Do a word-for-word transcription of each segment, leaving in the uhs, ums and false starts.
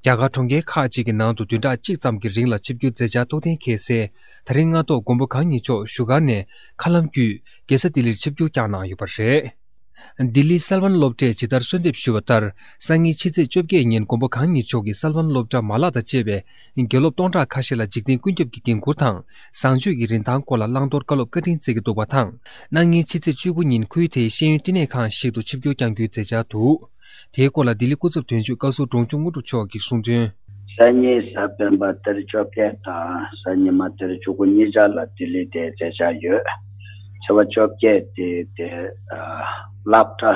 རྒྱ་གར་གྲོང་ཁྱེར་ཁག་ཅིག་གི་ནང་དུ་བདུན་ཕྲག་གཅིག་ཙམ་གྱི་རིང་ལ་ཆིབས་བསྒྱུར་མཛད་འཆར་ཐུགས་གཏན་འཁེལ་སའི་ད་རིང་སྔ་ཐོག་མགོན་པོ་གང་ཉིད་མཆོག་བཞུགས་སྒར་ནས་མཁའ་ལམ་བརྒྱུད་རྒྱལ་ས་ལྡི་ལིར་ཆིབས་བསྒྱུར་བསྐྱངས་གནང་ཡོད་པ་རེད། ལྡི་ལིའི་གསལ་བན་སློབ་གྲྭས་ཇི་ལྟར་གསོལ་འདེབས་ཞུས་པ་ལྟར། སང་ཉིན་ཕྱི་ཚེས་བཅོ་བརྒྱད་ཉིན་མགོན་པོ་གང་ཉིད་མཆོག་གིས་གསལ་བན་སློབ་གྲྭ་མ་ལག་དང་བཅས་པའི་དགེ་སློབ་སྟོང་ཕྲག་ཁ་ཤས་ལ་འཇིག་རྟེན་ཀུན་ཁྱབ་ཀྱི་འགན་འཁུར་དང་བཟང་སྤྱོད་ཀྱི་རིན་ཐང་སྐོར་ལ་བླང་དོར་བཀའ་སློབ་བཀའ་དྲིན་སྩལ་གྱི་འདུག་པ་དང་། གནངས་ཉིན་ཕྱི་ཚེས་བཅུ་དགུ་ཉིན་ཁུལ་དེའི་ཤེས་ཡོན་བསྟི་གནས་ཁང་ཞིག་ཏུ་ཆིབས་བསྒྱུར་བསྐྱང་རྒྱུའི་མཛད་འཆར་འདུག་དེའི་སྐོར་ལ་ལྡི་ལི་སྐུ་ཚབ་དོན་གཅོད་བཀའ་ཟུར་འབྲོང་ཆུང་དངོས་གྲུབ་མཆོག་གིས་གསུངས་དོན། སང་ཉིན་གཟའ་སྤེན་པ་ཏ་རིག་བཅོ་བརྒྱད་དང་གཟའ་ཉི་མ་ཏ་རིག་བཅུ་དགུ་གཉིས་ཆར་ལ་ལྡི་ལི་དེ་མཛད་འཆར་ཡོད། ཚེས་པ་བཅོ་བརྒྱད་དེ་དེ་སློབ་གྲྭ་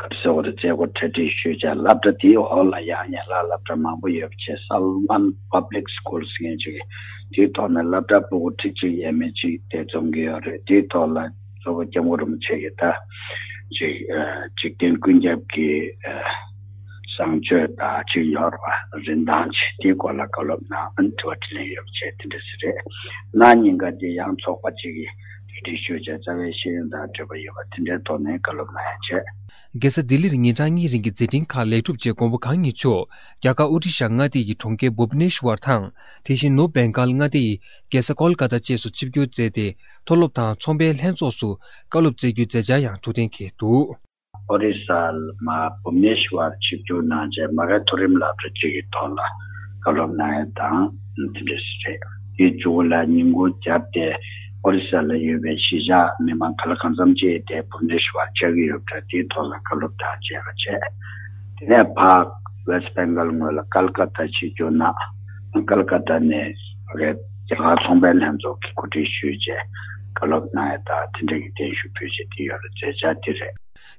ག་རེ་ཟེར་བ་རེད། མཛད་སྒོ་གྲ་སྒྲིག་ཞུས་བྱས་སློབ་གྲྭ་དེའི་འོག་ལ་ཡང་ཡན་ལག་སློབ་གྲྭ་མང་པོ་ཡོད་པ་བྱས། Salwan Public School ཟེར་མཁན་ཅིག་དེའི་ཐོག་ནས་སློབ་གྲྭ་ཕྲུ་གུ་ཁྲི་གཅིག་ཡས་མས་ཅིག་དེ་འཛོམས་ཀྱི་ཡོད་རེད། དེའི་ཐོག་ལ་གཙོ་བོ་སྐྱབས་མགོན་རིན་པོ་ཆེ་གིས་ད་ཅིག་འཇིག་རྟེན་ཀུན་ཁྱབ་ཀྱི་བཟང་སྤྱོད་དང་ཅིག་ཡོད་པ་རིན་ཐང་ཅིག་དེའི་སྐོར་ལ་བཀའ་སློབ་གནང་། དྲི་བ་དྲིས་ལན་ཡོད་པ་བྱས་དེ་འདྲ་ཞིག་རེད། གནངས་ཉིན་ཀ་དེ་ཡང་ཚོགས་པ་ཅིག་གིས་གྲ་སྒྲིག་ཞུས་བྱས་རྩ་བའི་ཤེས་ཡོན་དང་འབྲེལ་བ་ཡོད་པ་དེ་འདྲའི་ཐོག་ནས་བཀའ་སློབ་གནང་ཡ་བྱས། རྒྱལ་ས་ལྡི་ལིར་ཉིན་གྲངས་གཉིས་རིང་གི་མཛད་འཕྲིན་ཁག་ལེགས་གྲུབ་རྗེས་མགོན་པོ་གང་ཉིད་མཆོག་རྒྱ་གར་ཨོ་ཌི་ཤ་མངའ་སྡེ་ཡི་གྲོང་ཁྱེར་བྷུབ་ནེ་ཤ་ཝར་དང་། དེ་བཞིན་ནུབ་བེང་གཱལ་མངའ་སྡེ་ཡི་རྒྱལ་ས་ཀོལ་ཀ་ཏ་བཅས་སུ་ཆིབས་བསྒྱུར་མཛད་དེ། མཐོ་སློབ་དང་ཚོང་པའི་ལྷན་ཚོགས་སུ་བཀའ་སློབ་སྩལ་རྒྱུའི་མཛད་འཆར་ཡང་ཐུགས་གཏན་འཁེལ་འདུག་ཨོ་རི་ས་ལ་མ་བྷུབ་ནེ་ཤ་ཝར་ཆིབས་བསྒྱུར་གནང་རྗེས་མ་གི་མཐོ་རིམ་སློབ་གྲྭ་གཅིག་གི་ཐོག་ལ་བཀའ་སློབ་གནང་ཡ་དང་དེ་འདྲ་ཞིག་རེད། དེའི་མཇུག་ལ་ཉིན་གུང་རྒྱབ་སྟེ་ཨོ་རི་ས་ལ་ཡོད་པའི་གཞིས་ཆགས་མི་མང་ག་ལ་གང་འཚམ་ཅིག་དེ་བྷུབ་ནེ་ཤ་ཝར་བཅར་གྱི་ཡོད་པ་འདྲ། དེའི་ཐོག་ལ་བཀའ་སློབ་དང་མཇལ་ཁ་བྱས། དེ་ནས་ཕར་West Bengal ངོས་ལ་ཀལ་ཀ་ཏ་ཆིབས་བསྒྱུར་གནང་། ཀལ་ཀ་ཏ་ནས་རྒྱ་གར་ཚོང་པའི་ལྷན་ཚོགས་ཀྱིས་གོ་སྒྲིག་ཞུས་རྗེས་བཀའ་སློབ་གནང་ཡ་དང་དེ་འབྲེལ་གྱི་བརྟན་བཞུགས་ཕུལ་རྗེས་དེ་ཡོད་རེད། མཛད་འཆར་དེ་རེད།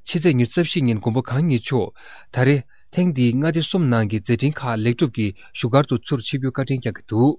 ཕྱི་ཚེས་ཉི་ཤུ་རྩ་བཞི་ཉིན་མགོན་པོ་གང་ཉིད་མཆོག་ད་རེས་ཐེངས་འདིའི་མངའ་སྡེ་གསུམ་ནང་གི་མཛད་འཕྲིན་ཁག་ལེགས་གྲུབ་ཀྱིས་བཞུགས་སྒར་དུ་ཚུར་ཆིབས་བསྒྱུར་བཀའ་དྲིན་བསྐྱངས་ཀྱི་འདུག